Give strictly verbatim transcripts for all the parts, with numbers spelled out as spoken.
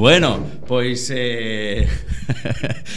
Bueno, pois eh...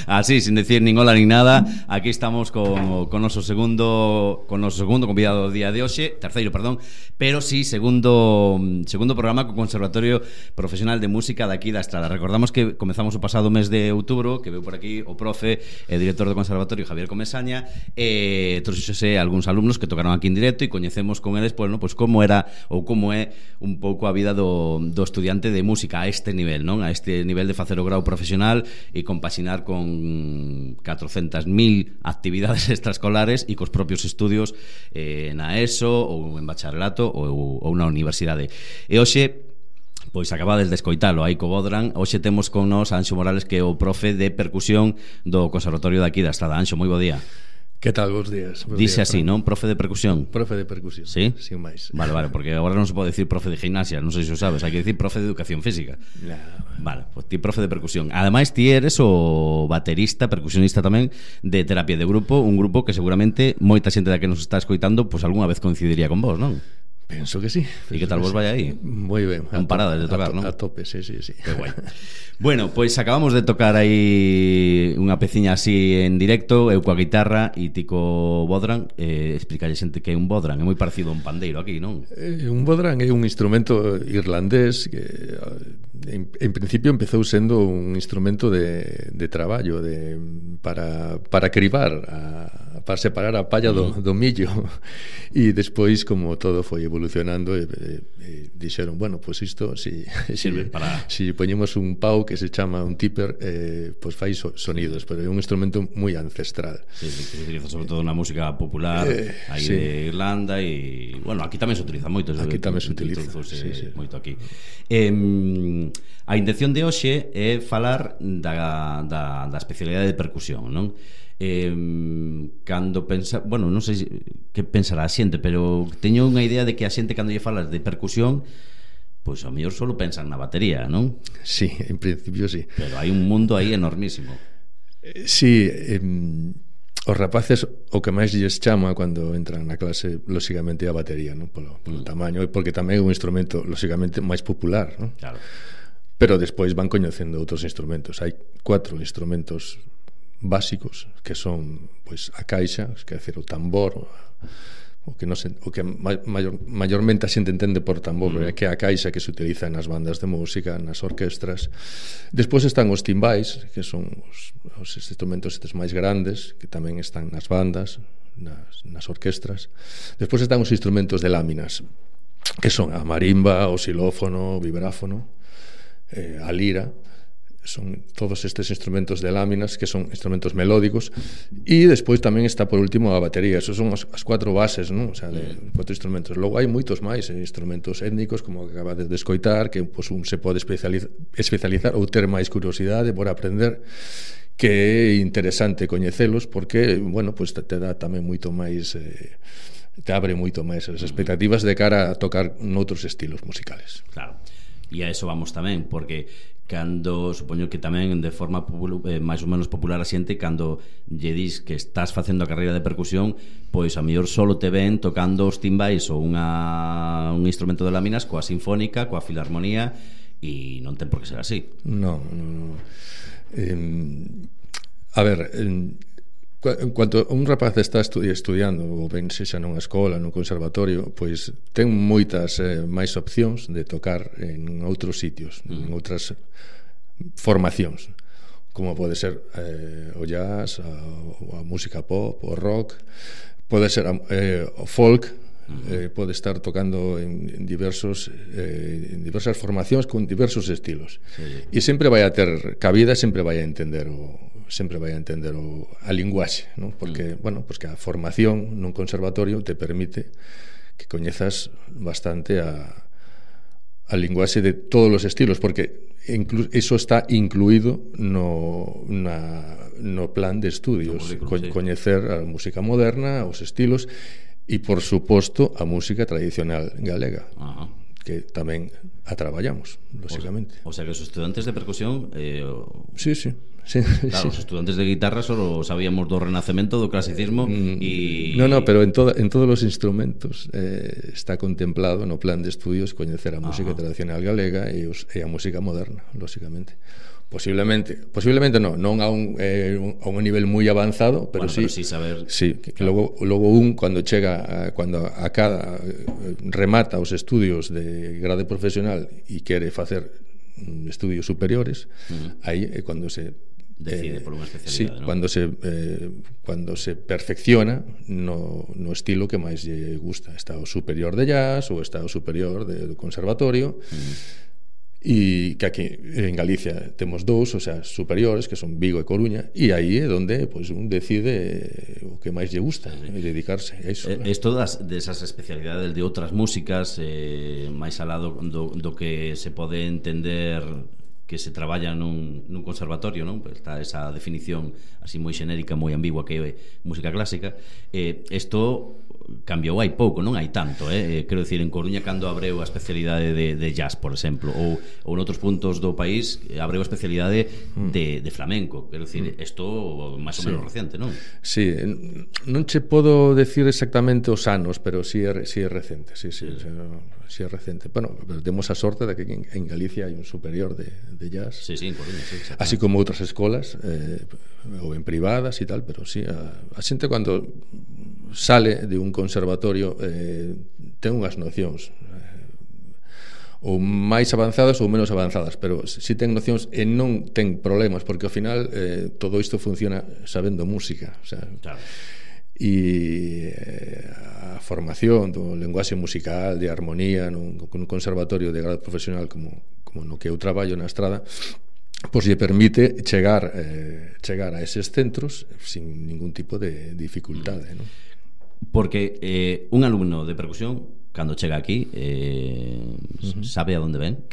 así, sin decir nin hola nin nada, aquí estamos con, con noso segundo con noso segundo convidado do día de hoxe, terceiro, perdón, pero sí, segundo segundo programa co Conservatorio Profesional de Música daqui da Estrada. Recordamos que comezamos o pasado mes de outubro, que veu por aquí o profe e director do Conservatorio Javier Comesaña, e trouxose algúns alumnos que tocaron aquí en directo e coñecemos con eles, pois, no, pois como era ou como é un pouco a vida do, do estudiante de música a este nivel, non? A este nivel de facer o grau profesional e compaxinar con catrocentas mil actividades extraescolares e cos propios estudios eh, na ESO ou en bacharelato ou, ou na universidade. E hoxe, pois acabades de escoitalo aí co Bodran, hoxe temos con nós a Anxo Morales, que é o profe de percusión do Conservatorio daqui da Estrada. Anxo, moi bo día. Que tal, bons días? Bos Dice días, así, non? Profe de percusión. Profe de percusión, sí? Sin máis. Vale, vale, porque agora non se pode decir profe de gimnasia, non sei se o sabes, hai que decir profe de educación física. Nah, vale, pois ti profe de percusión. Ademais, ti eres o baterista, percusionista tamén de Terapia de Grupo, un grupo que seguramente moita xente da que nos está escoitando pois algunha vez coincidiría con vos, non? Penso que sí. E que tal vos vai aí? Moi ben. Non paradas de tocar, non? A tope, sí, sí, sí. Que guai. Bueno, pois acabamos de tocar aí unha peciña así en directo, eu coa guitarra e ti co bodran. eh, Explicalle xente que é un bodran. É moi parecido a un pandeiro aquí, non? Eh, un bodran é un instrumento irlandés que en, en principio empezou sendo un instrumento de, de traballo de, para, para cribar a, para separar a palla do, do millo, e despois, como todo foi evolucionando, e, e, e dixeron, bueno, pois pues isto si, si, para... si poñemos un pau que se chama un tipper, eh, pois pues fai so, sonidos, pero é un instrumento moi ancestral. Sí, que se utiliza sobre todo na música popular eh, aí sí. de Irlanda, e bueno, aquí tamén se utiliza moito. Aquí tamén se utiliza, sí, sí. Moito aquí. Eh, a intención de hoxe é falar da, da, da especialidade de percusión, non? Eh, cando pensa, bueno, non sei que pensará a xente, pero teño unha idea de que a xente cando lle falas de percusión, pois ao mellor solo pensan na batería, non? Sí, en principio sí. Pero hai un mundo aí enormísimo. Eh, sí, eh, os rapaces o que máis lles chama cando entran na clase, lóxicamente, a batería, non? Polo, polo mm. tamaño, e porque tamén é un instrumento lóxicamente máis popular, non? Claro. Pero despois van coñecendo outros instrumentos. Hai cuatro instrumentos básicos que son, pois, a caixa, quer dizer, o tambor, o que non se, o que maior, maiormente a xente entende por tambor, mm. que é a caixa que se utiliza nas bandas de música, nas orquestras. Despois están os timbais, que son os, os instrumentos estes máis grandes, que tamén están nas bandas, nas, nas orquestras. Despois están os instrumentos de láminas, que son a marimba, o xilófono, o vibráfono, eh, a lira. Son todos estes instrumentos de láminas, que son instrumentos melódicos, e despois tamén está por último a batería. Esos son as, as cuatro bases, non? O sea, de cuatro instrumentos. Logo hai moitos máis, eh, instrumentos étnicos, como acabades de escoitar, que pues, un se pode especializar, especializar ou ter máis curiosidade por aprender, que é interesante coñecelos, porque, bueno, pues te dá tamén moito máis, eh, te abre moito máis as expectativas de cara a tocar noutros estilos musicales. Claro. E a eso vamos tamén, porque cando, supoño que tamén de forma popul- eh, máis ou menos popular a xente, cando lle dis que estás facendo a carreira de percusión, pois a mellor solo te ven tocando os timbais ou unha, un instrumento de láminas coa sinfónica, coa filarmonía, e non ten por que ser así. Non, non. Eh, a ver, eh, en cuanto un rapaz está estudi- estudiando, ou ben sexa nunha escola, nun conservatorio, pois ten moitas eh, máis opcións de tocar en outros sitios, mm. en outras formacións, como pode ser eh, o jazz, a, a música pop, o rock, pode ser eh, o folk, eh, pode estar tocando en, en diversos eh, en diversas formacións con diversos estilos, sí. E sempre vai a ter cabida, sempre vai a entender o sempre vai a entender o, a linguaxe, ¿no? Porque, mm. bueno, pues que a formación nun conservatorio te permite que coñezas bastante a, a linguaxe de todos os estilos, porque inclu, eso está incluído no, na, no plan de estudios, Co, coñecer a música moderna, os estilos, e, por suposto, a música tradicional galega. Ajá. que tamén a traballamos, lógicamente. O sea, o sea que os estudantes de percusión eh, o... Sí, sí. Sí, claro, sí. Os estudantes de guitarra solo sabíamos do renacemento, do clasicismo e... No, no, pero en, toda, en todos os instrumentos eh, está contemplado no plan de estudios coñecer a música Ajá. tradicional galega e, os, e a música moderna, lógicamente. Posiblemente, posiblemente no, non a un, eh, a un nivel moi avanzado, pero bueno, sí, pero sí saber... sí, que claro. logo, logo un cando chega a, cando a cada remata os estudios de grade profesional e quere facer estudios superiores, uh-huh. aí é cando se decide eh, por unha especialidade, sí, ¿no? Cuando se eh, cuando se perfecciona no, no estilo que máis lle gusta, está o superior de jazz ou está o superior de, do conservatorio. Uh-huh. E que aquí en Galicia temos dous, o sea, superiores, que son Vigo e Coruña, e aí é onde pues, un decide o que máis lle gusta sí. e dedicarse a iso. Eh, Esto das, desas especialidades de outras músicas eh, máis alado do, do que se pode entender que se traballa nun, nun conservatorio, non? Pues está esa definición así moi xenérica, moi ambigua que é música clásica. Eh, isto cambiou hai pouco, non hai tanto, eh? Quero dicir, en Coruña cando abreu a especialidade de, de jazz, por exemplo, ou, ou noutros puntos do país abreu a especialidade de, de flamenco. Quero dicir, isto máis ou menos sí. recente, non? Sí, non che podo decir exactamente os anos, pero si sí é, sí é recente, sí, sí, sí. O sea, sí é recente. Bueno, pero temos a sorte de que en, en Galicia hai un superior de, de jazz. Sí, sí, en Coruña, sí, así como outras escolas, eh, ou en privadas e tal, pero sí, a, a xente cando sale de un conservatorio eh, ten unhas nocións eh, ou máis avanzadas ou menos avanzadas, pero si ten nocións e non ten problemas, porque ao final eh, todo isto funciona sabendo música, o sea, claro. E eh, a formación do lenguaxe musical, de armonía nun, nun conservatorio de grado profesional como, como no que eu traballo na Estrada, pois lle permite chegar eh, chegar a eses centros sin ningún tipo de dificultade, non? Porque eh, un alumno de percusión cando chega aquí eh, uh-huh. sabe a onde ven.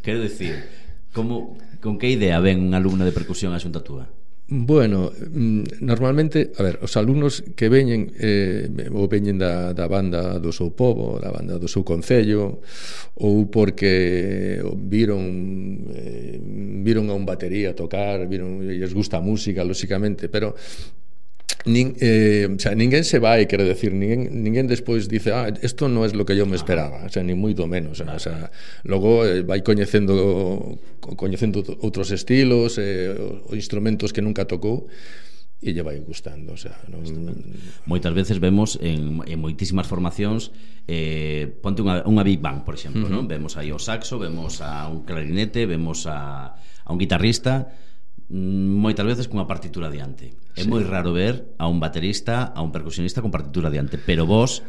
Quero decir, como, con que idea ven un alumno de percusión a xunta túa? Bueno, normalmente, a ver, os alumnos que veñen eh, ou veñen da, da banda do seu pobo, da banda do seu concello, ou porque viron eh, viron a un batería tocar, viron, lles gusta a música, lóxicamente, pero Nin, eh, o sea, ninguén se vai, quero decir, ninguén, ninguén despois dice, ah, esto non é lo que yo me esperaba, o sea, ni moito menos, o sea, logo eh, vai coñecendo coñecendo outros estilos, eh, instrumentos que nunca tocou e lle vai gustando, o sea, non... Moitas veces vemos en, en moitísimas formacións eh, ponte unha, unha Big Bang, por exemplo, uh-huh. non? Vemos aí o saxo, vemos a un clarinete, vemos a, a un guitarrista, moitas veces cunha partitura diante. É sí. moi raro ver a un baterista, a un percusionista con partitura diante, pero vos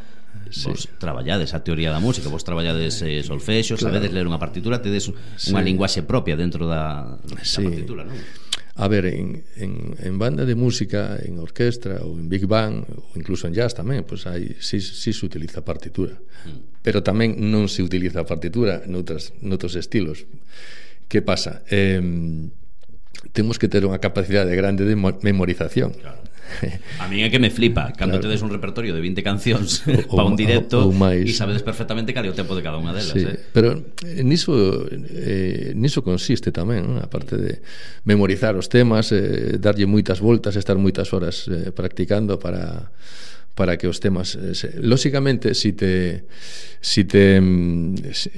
sí. vos traballades a teoría da música, vos traballades eh, solfexo, claro. sabedes ler unha partitura, tedes unha sí. linguaxe propia dentro da, da sí. partitura, non? A ver, en, en, en banda de música, en orquestra ou en Big Bang, ou incluso en jazz tamén, pues hai, sí, sí se utiliza partitura, mm. pero tamén non se utiliza partitura noutras, noutros estilos. Que pasa? Eh, temos que ter unha capacidade grande de memorización. Claro. A mí é que me flipa cando claro. tedes un repertorio de vinte cancións para un directo e sabedes perfectamente cal é o tempo de cada unha delas, sí. eh? Pero niso eh, niso consiste tamén, ¿no? Aparte de memorizar os temas, eh, darlle moitas voltas, estar moitas horas eh, practicando para para que os temas eh, se... lóxicamente si te si te si,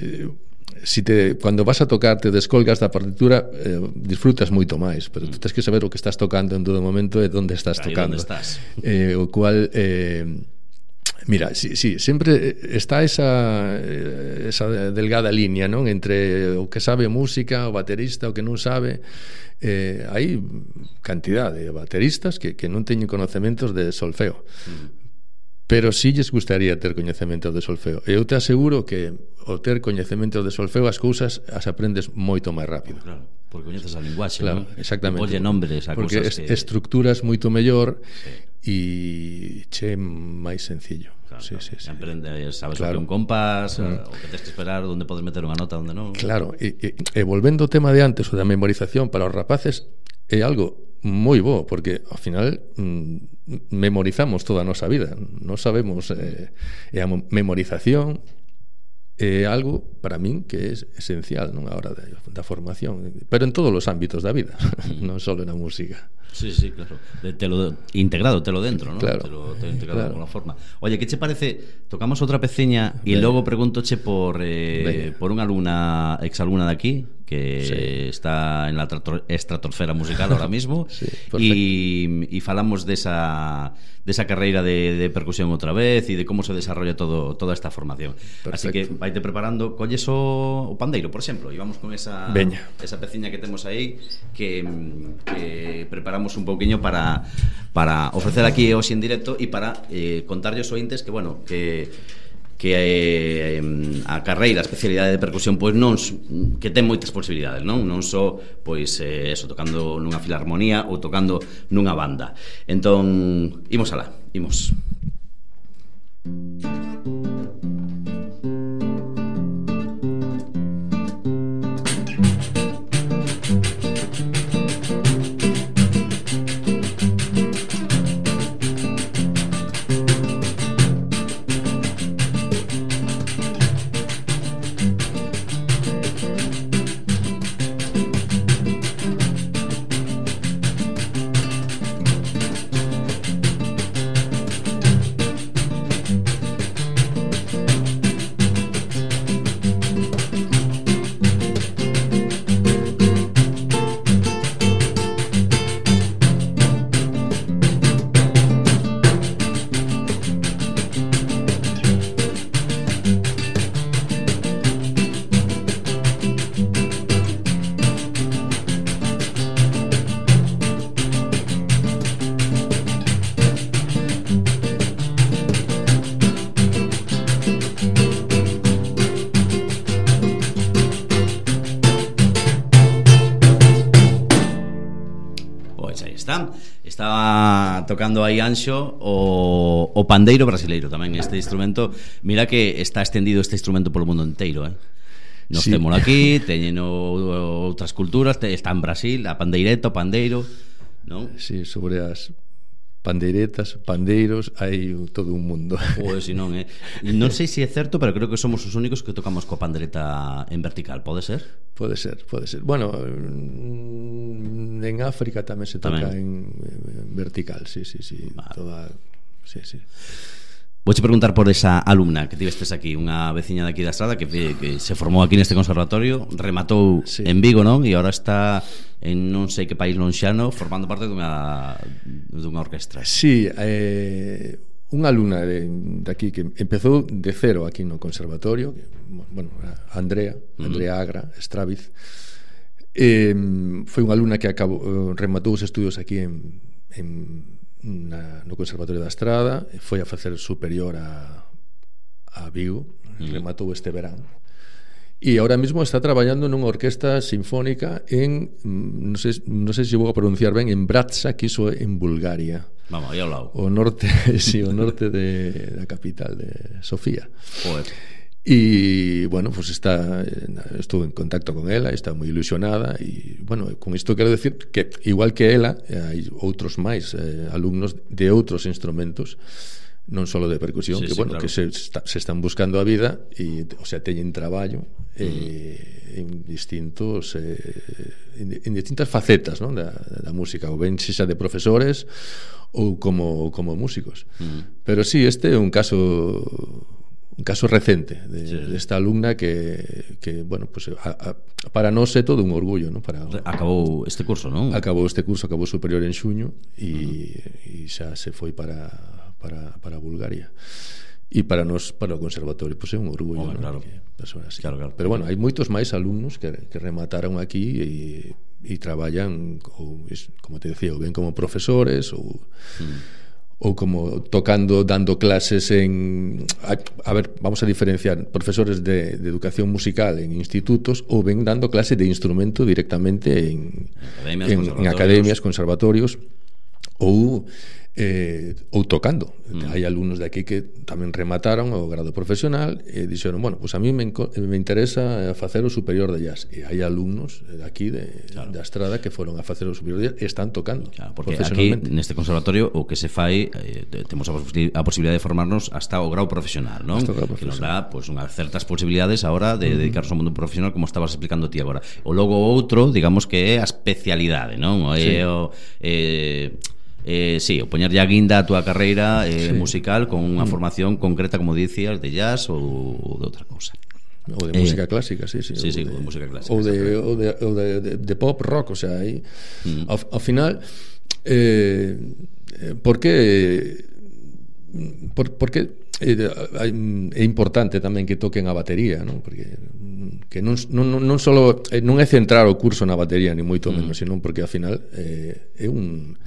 si te, cando vas a tocar te descolgas da partitura, eh, disfrutas moito máis, pero mm. tú tens que saber o que estás tocando en todo momento e onde estás Ahí tocando, estás. Eh, o cual eh, mira, sí, sí, sempre está esa esa delgada línea, non, entre o que sabe música, o baterista, o que non sabe. Eh, hai cantidad de bateristas que, que non teñen conocementos de solfeo, mm. pero si lles gustaría ter coñecemento de solfeo. E eu te aseguro que o ter coñecemento de solfeo as cousas as aprendes moito máis rápido. Claro, porque coñeces a linguaxe, claro, non? Exactamente. Polle nombres a porque cousas que... que... estructuras moito mellor e sí. che máis sencillo. Claro, sí, claro. sí, sí. Aprendes, sabes claro. o que un compás, mm. o que tens que esperar, onde podes meter unha nota, onde non. Claro, e, e, e volvendo ao tema de antes, o da memorización para os rapaces, é algo moi bo, porque ao final mm, memorizamos toda a nosa vida, non sabemos, eh, e a memorización é algo para min que é esencial, non, a hora de, da formación, pero en todos os ámbitos da vida, non só na música. Sí, sí, claro. De, telo integrado, telo dentro, ¿no? Claro. Telo, telo integrado Claro. de alguna forma. Oye, ¿qué te parece? Tocamos outra peciña e logo pregúntoche por eh, por unha alumna, exalumna de aquí que Sí. está en la trator- estratosfera musical ahora mismo. Sí, y, y falamos de esa de esa carreira de, de percusión outra vez e de como se desarrolla todo toda esta formación. Perfecto. Así que vaite preparando, colles o, o pandeiro, por exemplo, e vamos con esa Veña. esa peciña que temos aí que, que preparamos un pouquiño para para ofrecer aquí hoxe en directo e para eh, contarlle aos ointes que, bueno, que que eh, a carreira, a especialidade de percusión pois non que ten moitas posibilidades, non? Non só pois eh, eso, tocando nunha filarmonía ou tocando nunha banda. Entón, imos alá, imos. Pois aí está. Estaba tocando aí Anxo o, o pandeiro brasileiro tamén. Este instrumento, mira que está extendido este instrumento polo mundo inteiro, eh? Nos Sí. temos aquí, teñen o, outras culturas, te, está en Brasil, a pandeireta, o pandeiro, non? Sí, sobre as pandeiretas, pandeiros, hai todo un mundo. Pois si non, eh? Non sei se é certo, pero creo que somos os únicos que tocamos coa pandereta en vertical, pode ser? Pode ser, pode ser. Bueno, en África tamén se toca Tamén. en, en vertical, sí, sí, sí, Vale. toda, sí, sí. Vouche preguntar por esa alumna que tivestes aquí, unha veciña de aquí da Estrada que, que se formou aquí neste conservatorio, rematou Sí. en Vigo, non? E agora está en non sei que país lonxano formando parte dunha dunha orquestra. Sí, eh, unha alumna de, de aquí que empezou de cero aquí no conservatorio, que, bueno, Andrea, Andrea Agra, Straviz, eh, foi unha alumna que acabou, eh, rematou os estudios aquí en, en na, no Conservatorio da Estrada, foi a facer superior a, a Vigo, mm. rematou este verán. E ahora mismo está traballando nunha orquesta sinfónica en, non sei, non sei se vou a pronunciar ben, en Bratsa, que iso é en Bulgaria. Vamos, aí ao lado. O norte, sí, o norte de, da capital de Sofía. Joder. E, bueno, pues está, estou en contacto con ela, está moi ilusionada e, bueno, con isto quero decir que igual que ela, hai outros máis eh, alumnos de outros instrumentos, non só de percusión, Sí, que, sí, bueno, claro. que se, está, se están buscando a vida e, o sea, teñen traballo eh, en distintos eh, en, en distintas facetas, non, da, da música, ou ben xa de profesores ou como, como músicos. Mm. Pero sí, este é un caso un caso recente de, Sí. de esta alumna que, que bueno, pues a, a, para nós é todo un orgullo, ¿no? Para, Acabou este curso, non? acabou este curso, acabou superior en xuño e, uh-huh. e xa se foi para, para, para Bulgaria. E para nós, para o conservatorio, pues é un orgullo, Home, ¿no? claro. Que persoas así. Claro, claro. Pero bueno, hai moitos máis alumnos que, que remataron aquí e, e traballan ou, como te decía, ou ben como profesores ou mm. ou como tocando, dando clases en... A, a ver, vamos a diferenciar profesores de, de educación musical en institutos ou ben dando clase de instrumento directamente en academias, en, en academias, conservatorios ou eh, ou tocando. Mm. Hai alumnos de aquí que tamén remataron o grado profesional e dixeron, bueno, pues a mí me, me interesa facer o superior de jazz, e hai alumnos de aquí de, claro. da Estrada que foron a facer o superior de jazz e están tocando, claro, porque aquí neste conservatorio o que se fai eh, temos a, posi a posibilidade de formarnos hasta o grau profesional, non? Grau que nos profesional. dá pues, unhas certas posibilidades ahora de mm. dedicarnos ao mundo profesional, como estabas explicando ti agora. O logo outro, digamos que é a especialidade, non? Sí. É o eh, Eh, sí, o poñerlle a guinda a túa carreira eh, sí. musical con unha formación concreta, como dicías, de jazz ou de outra cousa. Ou de música eh, clásica, sí, sí. Sí, sí, de, de música clásica. Ou de, ou de, ou de, de, de pop rock, o sea, aí mm. ao, ao final eh, por que por, por que eh, é importante tamén que toquen a batería, non? Porque que non, non, non solo non é centrar o curso na batería, ni moito menos, mm. senón porque ao final eh, é un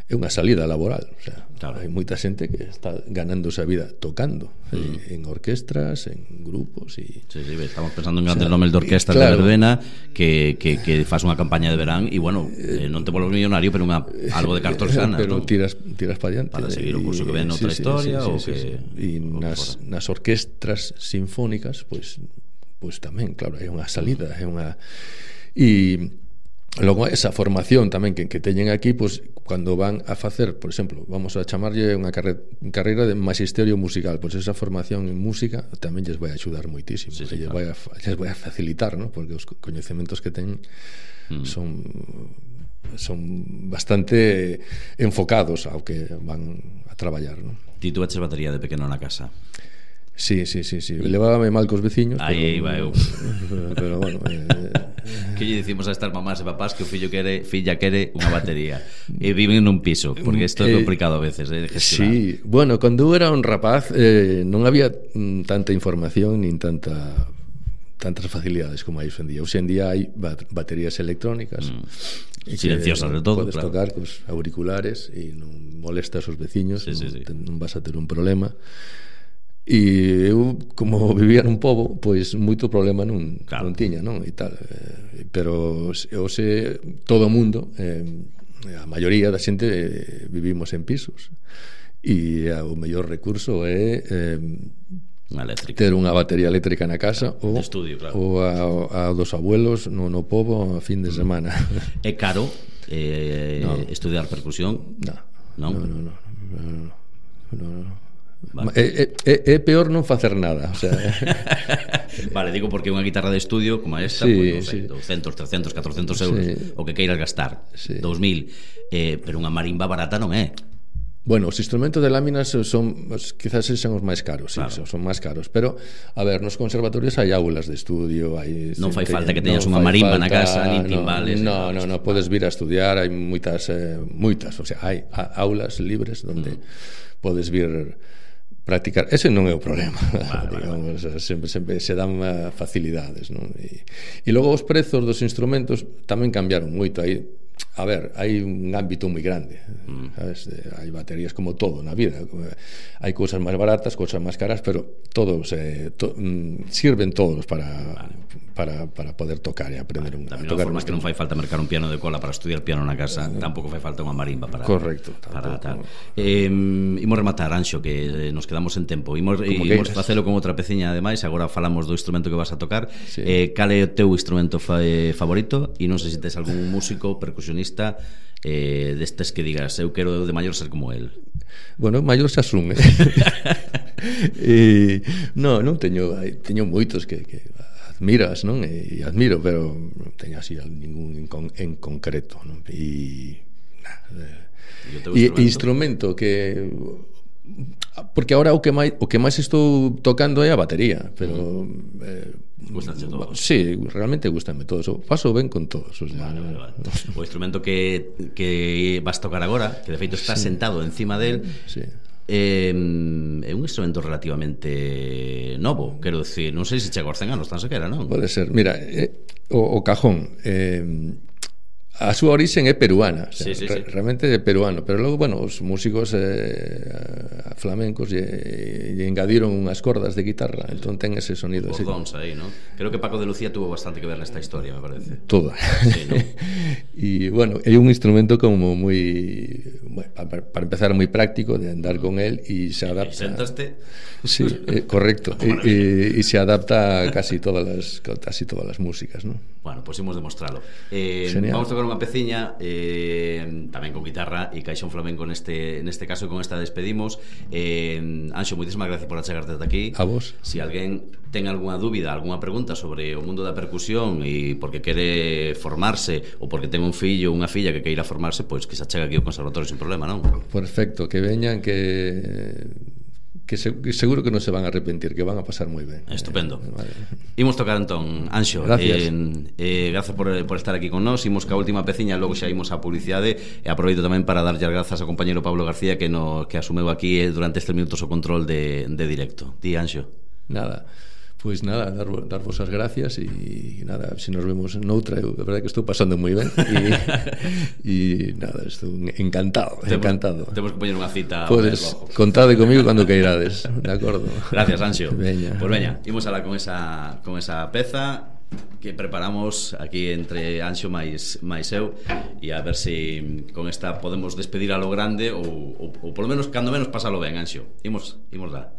é unha salida laboral, o sea, claro. Hai moita xente que está ganándose a vida tocando mm. eh, en orquestras, en grupos e sí, sí, estamos pensando en grandes o sea, nomes de orquestas claro. de Verbena que, que, que faz unha campaña de verán e bueno, eh, non te volves millonario, pero unha, algo de cartos ganas, pero ¿no? tiras, tiras para diante para seguir o curso que ven sí, outra sí, historia sí, sí, ou sí, que sí. E nas, nas orquestras sinfónicas pois, pois tamén, claro, é unha salida, é unha e logo esa formación tamén que, que teñen aquí, pois cando van a facer, por exemplo, vamos a chamarlle unha carre, carreira de magisterio musical, pois esa formación en música tamén lles vai axudar moitísimo, sí, sí, lles, claro. vai a, lles vai a facilitar, ¿no? Porque os coñecementos que teñen mm. son son bastante enfocados ao que van a traballar, ¿no? Ti tuveches batería de pequeno na casa? Sí, sí, sí, sí. Levábame mal cos veciños. Aí iba eu. Pero bueno, eh, que lle dicimos a estas mamás e papás que o fillo quere, filla quere unha batería e viven nun piso, porque isto é complicado a veces, eh, de gestionar. Sí, bueno, cando eu era un rapaz eh, non había mm, tanta información nin tanta tantas facilidades como hai hoxe en día. Hoxe en día hai baterías electrónicas mm. silenciosas de todo, podes claro. tocar cos auriculares e non molestas aos veciños, sí, non, sí, sí. non vas a ter un problema. E eu, como vivía nun pobo, pois moito problema non, claro. non tiña, non? E tal. Eh, pero hoxe todo o mundo, eh, a maioría da xente eh, vivimos en pisos. E o mellor recurso é eh, unha eléctrica. Ter unha batería eléctrica na casa ou, estudio, claro. ou a, a dos abuelos no, no pobo a fin de semana. É caro eh, no. estudiar percusión? No. Non? No, no, no. no, no, no, no. Vale. É, é, é peor non facer nada, o sea. Vale, digo porque unha guitarra de estudio como esta, sí, pues, no sé, sí. doscientos, trescentos, catrocentos euros sí. o que queiras gastar, sí. dous mil, eh, pero unha marimba barata non é. Bueno, os instrumentos de láminas son, quizás sexan os máis caros, sí, claro. son, son máis caros, pero a ver, nos conservatorios hai aulas de estudio, hai non fai falta que teñas unha marimba falta, na casa, nin timbales. No, no, no, no, podes vir a estudiar, hai moitas eh, moitas, o sea, hai aulas libres onde mm. podes vir practicar, ese non é o problema, vale, digamos, vale. Sempre, sempre se dan facilidades, non? E, e logo os prezos dos instrumentos tamén cambiaron moito aí. A ver, hai un ámbito moi grande, mm. sabes? Hai baterías como todo na vida, hai cousas máis baratas, cousas máis caras, pero todos eh, to, mm, sirven todos para, vale. para, para poder tocar e aprender vale. un, tamén a tocar. Tamén non fai falta mercar un piano de cola para estudiar piano na casa, uh, tampouco fai falta unha marimba para correcto, para tal. Eh, imos rematar, Anxo, que nos quedamos en tempo. Imos, imos facelo con outra peciña ademais, agora falamos do instrumento que vas a tocar. Sí. Eh, cal é o teu instrumento fa, eh, favorito? E non sei se tes algún músico, percusionista eh, destes que digas eu quero de maior ser como el. Bueno, maior se asume. E no, non teño teño moitos que, que admiras, non? E admiro, pero non teño así ningún en, con, en concreto, non? E nada. E instrumento? instrumento que porque agora o que máis o que máis estou tocando é a batería, pero mm. eh, gustanche todos. Sí, realmente gustame todos. Paso ben con todos, o sea, vale, vale, vale. O instrumento que que vas tocar agora, que de feito estás sí. sentado encima del, sí. eh, é un instrumento relativamente novo, quero decir, non sei se chega aos cen anos tan sequera, non? Pode ser. Mira, eh, o, o cajón eh, a súa origen é peruana, o sea, sí, sí, re, sí. realmente é peruano, pero logo, bueno, os músicos eh, flamencos lle, lle engadiron unhas cordas de guitarra, entón ten ese sonido Os ese. dons aí, ¿no? Creo que Paco de Lucía tuvo bastante que ver nesta historia, me parece. Toda. Sí, ¿no? E, bueno, é un instrumento como moi, bueno, para, para empezar, moi práctico de andar con él e se adapta. E sentaste? Sí, eh, correcto. E, e, e se adapta a casi todas as casi todas as músicas, ¿no? Bueno, pois pues imos demostralo. Eh, vamos a tocar unha peciña eh, tamén con guitarra e caixón flamenco neste neste caso, e con esta despedimos. Eh, Anxo, moitísimas gracias por achegarte ata aquí. A vos. Si alguén ten algunha dúbida, algunha pregunta sobre o mundo da percusión e porque quere formarse ou porque ten un fillo ou unha filla que queira formarse, pois que se achega aquí ao conservatorio sin problema, non? Perfecto, que veñan, que que, se, que seguro que non se van a arrepentir, que van a pasar moi ben. Estupendo. Eh, vale. Imos tocar entón, Anxo. Gracias. Eh, eh, gracias por, por estar aquí con nós. Imos ca última peciña, logo xa imos a publicidade, e aproveito tamén para darlle as grazas ao compañeiro Pablo García que no, que asumeu aquí eh, durante estes minutos o control de, de directo. Ti, Anxo. Nada. Pois pues nada, dar, dar vos as gracias e nada, se nos vemos noutra, eu a verdade que estou pasando moi ben e, e nada, estou encantado, temos, encantado. Temos que poñer unha cita. Podes, contade comigo cando queirades, de acordo. Gracias, Anxo. Veña. Pois pues veña, imos alá con esa, con esa peza que preparamos aquí entre Anxo máis, máis eu, e a ver se si con esta podemos despedir a lo grande ou, ou, ou polo menos cando menos pasalo ben, Anxo. Imos, imos lá.